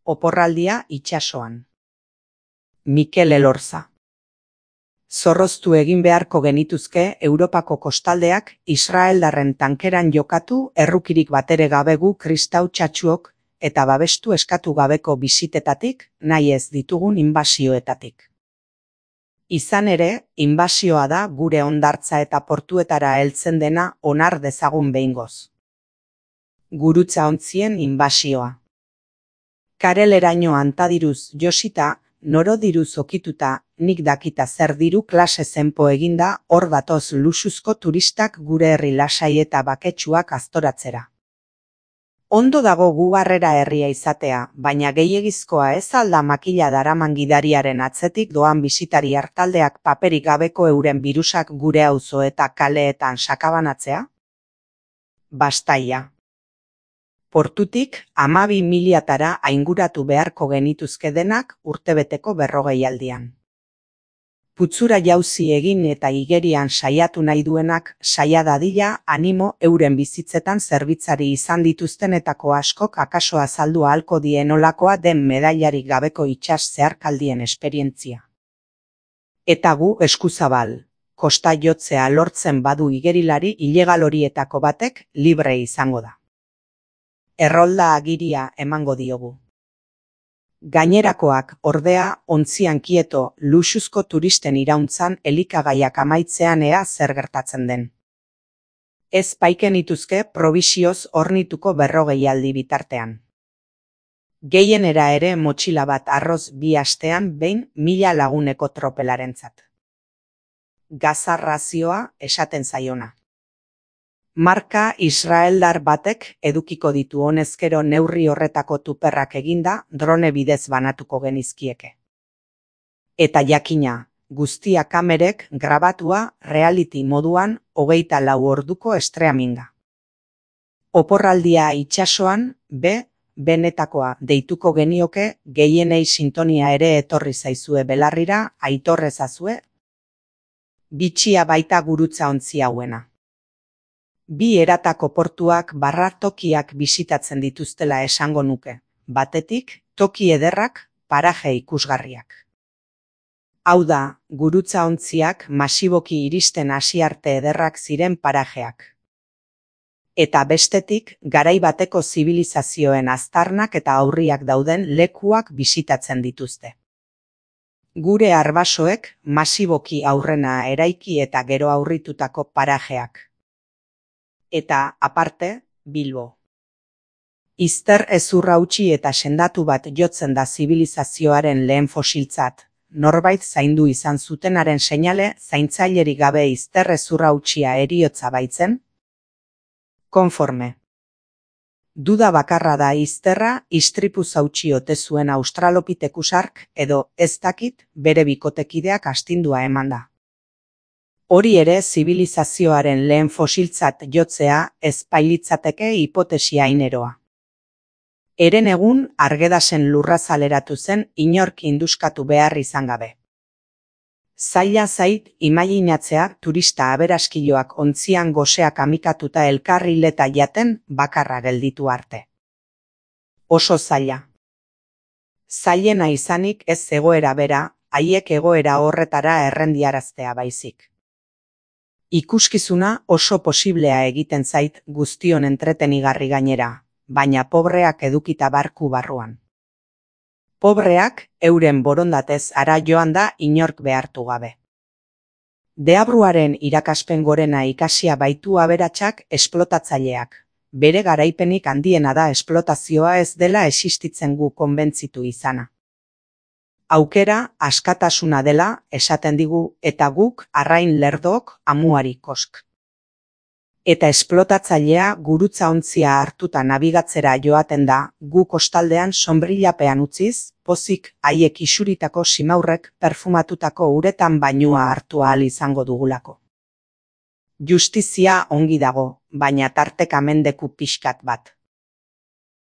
Oporraldia itsasoan. Mikel Elorza. Zorroztu egin beharko genituzke Europako kostaldeak israeldarren tankeran jokatu errukirik batere gabe gu kristau txatxuok eta babestu eskatu gabeko bisitetatik, nahi ez ditugun inbasioetatik. Izan ere, inbasioa da gure hondartza eta portuetara heltzen dena onar dezagun behingoz. Gurutza ontzien inbasioa. Kareleraino antadiruz josita, noro diruz okituta, nik dakita zer diru klase zenpo eginda hor datoz luxuzko turistak gure herri lasai eta baketsuak aztoratzera. Ondo dago gu harrera herria izatea, baina gehiegizkoa ez alda makila daraman gidariaren atzetik doan bisitari hartaldeak paperik gabeko euren birusak gure auzo eta kaleetan sakabanatzea? Bastaia. Portutik 12.000 ainguratu beharko genituzke denak urtebeteko 40aldian. Putzura jauzi egin eta igerian saiatu nahi duenak saia dadila animo euren bizitzetan zerbitzari izan dituztenetako askok akaso azaldu ahalko dienolakoa den medailarik gabeko itsas zeharkaldien esperientzia. Eta gu eskuzabal, kosta jotzea lortzen badu igerilari ilegal horietako batek libre izango da. Errolda agiria emango diogu. Gainerakoak, ordea, ontzian kieto, luxuzko turisten irauntzan elikagaiak amaitzean ea zer gertatzen den. Ez paiken ituzke probisioz hornituko 40aldi bitartean. Gehienera ere motxila bat arroz 2 astean behin 1000 laguneko tropelarentzat. Gazarrazioa esaten zaiona. Marka israeldar batek edukiko ditu honezkero neurri horretako tuperrak eginda drone bidez banatuko genizkieke. Eta jakina, guztia kamerek grabatua reality moduan 24 orduko streaminga. Oporraldia itsasoan, benetakoa deituko genioke gehienei sintonia ere etorri zaizue belarrira aitorrezazue. Bitxia baita gurutza ontzi hauena. 2 eratako portuak barratokiak bisitatzen dituztela esango nuke, batetik toki ederrak, paraje ikusgarriak. Hau da, gurutza ontziak masiboki iristen hasi arte ederrak ziren parajeak. Eta bestetik, garai bateko zibilizazioen aztarnak eta aurriak dauden lekuak bisitatzen dituzte. Gure arbasoek masiboki aurrena eraiki eta gero aurritutako parajeak. Eta, aparte, Bilbo. Izter ezurra utzi eta sendatu bat jotzen da zibilizazioaren lehen fosiltzat, norbait zaindu izan zutenaren seinale zaintzailerik gabe izter ezurra utzia heriotza baitzen? Konforme. Duda bakarra da izterra istripu zautxi ote zuen australopitekusark edo ez dakit bere bikotekideak astindua eman da. Hori ere zibilizazioaren lehen fosiltzat jotzea ez bailitzateke hipotesia ineroa. Eren egun Argedasen lurrazaleratu zen inork induskatu behar izan gabe. Zaila zait imaginatzea turista aberaskiloak ontzian goseak amikatuta elkarrileta jaten bakarra gelditu arte. Oso zaila. Zailena izanik ez egoera bera, haiek egoera horretara errendiaraztea baizik. Ikuskizuna oso posiblea egiten zait guztion entretenigarri gainera, baina pobreak edukita barku barruan. Pobreak euren borondatez ara joan da inork behartu gabe. Deabruaren irakaspen gorena ikasia baitu aberatsak esplotatzaileak. Bere garaipenik handiena da esplotazioa ez dela existitzen gu konbentzitu izana. Aukera askatasuna dela esaten digu eta guk arrain lerdok amuari kosk. Eta esplotatzailea gurutza ontzia hartuta nabigatzera joaten da gu kostaldean sonbrillapean utziz, pozik haiek isuritako simaurrek perfumatutako uretan bainua hartu ahal izango dugulako. Justizia ongi dago, baina tarteka mendeku pixkat bat.